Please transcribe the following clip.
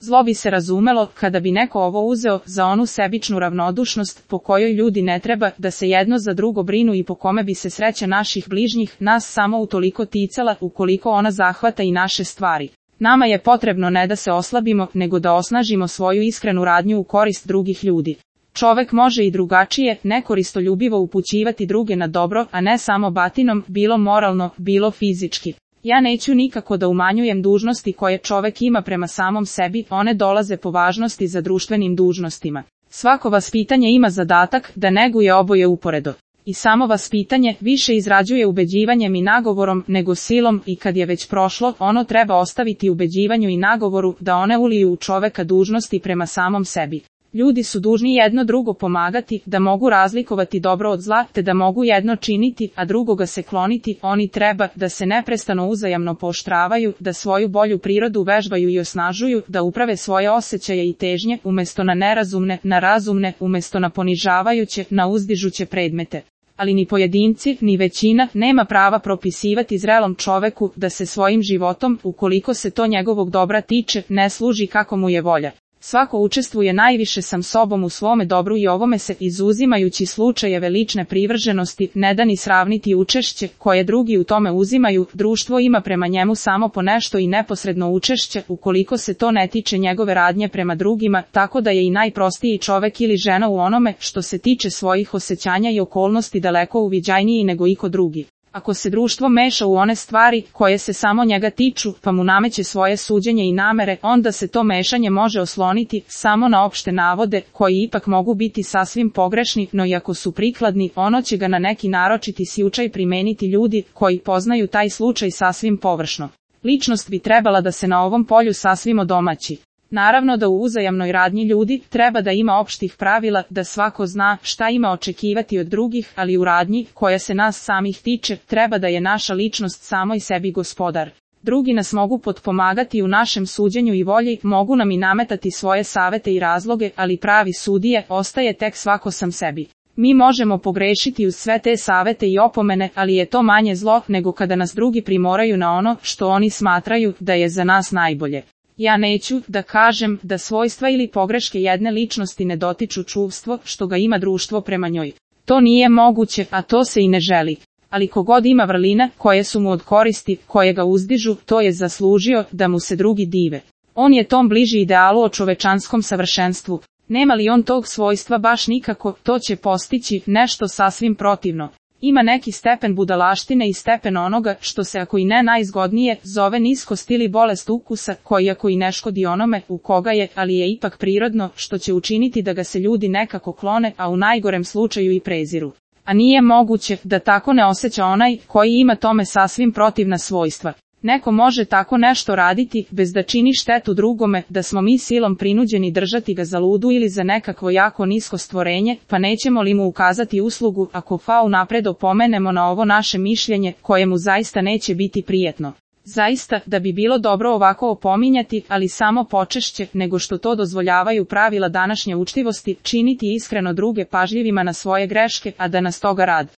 Zlo bi se razumelo kada bi neko ovo uzeo za onu sebičnu ravnodušnost po kojoj ljudi ne treba da se jedno za drugo brinu i po kome bi se sreća naših bližnjih nas samo utoliko ticala ukoliko ona zahvata i naše stvari. Nama je potrebno ne da se oslabimo, nego da osnažimo svoju iskrenu radnju u korist drugih ljudi. Čovek može i drugačije, nekoristoljubivo upućivati druge na dobro, a ne samo batinom, bilo moralno, bilo fizički. Ja neću nikako da umanjujem dužnosti koje čovek ima prema samom sebi, one dolaze po važnosti za društvenim dužnostima. Svako vaspitanje ima zadatak da neguje oboje uporedo. I samo vaspitanje više izrađuje ubeđivanjem i nagovorom nego silom i kad je već prošlo, ono treba ostaviti ubeđivanju i nagovoru da one uliju u čoveka dužnosti prema samom sebi. Ljudi su dužni jedno drugo pomagati, da mogu razlikovati dobro od zla, te da mogu jedno činiti, a drugoga se kloniti. Oni treba da se neprestano uzajamno pooštravaju, da svoju bolju prirodu vežbaju i osnažuju, da uprave svoje osjećaje i težnje, umesto na nerazumne, na razumne, umesto na ponižavajuće, na uzdižuće predmete. Ali ni pojedinci, ni većina, nema prava propisivati zrelom čoveku da se svojim životom, ukoliko se to njegovog dobra tiče, ne služi kako mu je volja. Svako učestvuje najviše sam sobom u svome dobru i ovome se, izuzimajući slučajeve lične privrženosti, ne da ni sravniti učešće koje drugi u tome uzimaju. Društvo ima prema njemu samo po nešto i neposredno učešće, ukoliko se to ne tiče njegove radnje prema drugima, tako da je i najprostiji čovek ili žena u onome što se tiče svojih osjećanja i okolnosti daleko uviđajniji nego iko drugi. Ako se društvo meša u one stvari koje se samo njega tiču, pa mu nameće svoje suđenje i namere, onda se to mešanje može osloniti samo na opšte navode, koji ipak mogu biti sasvim pogrešni, no i ako su prikladni, ono će ga na neki naročiti slučaj primeniti ljudi koji poznaju taj slučaj sasvim površno. Ličnost bi trebala da se na ovom polju sasvim odomaći. Naravno da u uzajamnoj radnji ljudi treba da ima opštih pravila, da svako zna šta ima očekivati od drugih, ali u radnji, koja se nas samih tiče, treba da je naša ličnost samoj sebi gospodar. Drugi nas mogu potpomagati u našem suđenju i volji, mogu nam i nametati svoje savete i razloge, ali pravi sudije ostaje tek svako sam sebi. Mi možemo pogrešiti uz sve te savete i opomene, ali je to manje zlo nego kada nas drugi primoraju na ono što oni smatraju da je za nas najbolje. Ja neću da kažem da svojstva ili pogreške jedne ličnosti ne dotiču čuvstvo što ga ima društvo prema njoj. To nije moguće, a to se i ne želi. Ali kogod ima vrlina koje su mu od koristi, koje ga uzdižu, to je zaslužio da mu se drugi dive. On je tom bliži idealu o čovečanskom savršenstvu. Nema li on tog svojstva baš nikako, to će postići nešto sasvim protivno. Ima neki stepen budalaštine i stepen onoga što se ako i ne najzgodnije zove niskost ili bolest ukusa, koji ako i ne škodi onome u koga je, ali je ipak prirodno, što će učiniti da ga se ljudi nekako klone, a u najgorem slučaju i preziru. A nije moguće da tako ne osjeća onaj koji ima tome sasvim protivna svojstva. Neko može tako nešto raditi, bez da čini štetu drugome, da smo mi silom prinuđeni držati ga za ludu ili za nekakvo jako nisko stvorenje, pa nećemo li mu ukazati uslugu, ako unapred opomenemo na ovo naše mišljenje, koje mu zaista neće biti prijetno. Zaista, da bi bilo dobro ovako opominjati, ali samo počešće, nego što to dozvoljavaju pravila današnje učtivosti, činiti iskreno druge pažljivima na svoje greške, a da nas toga rad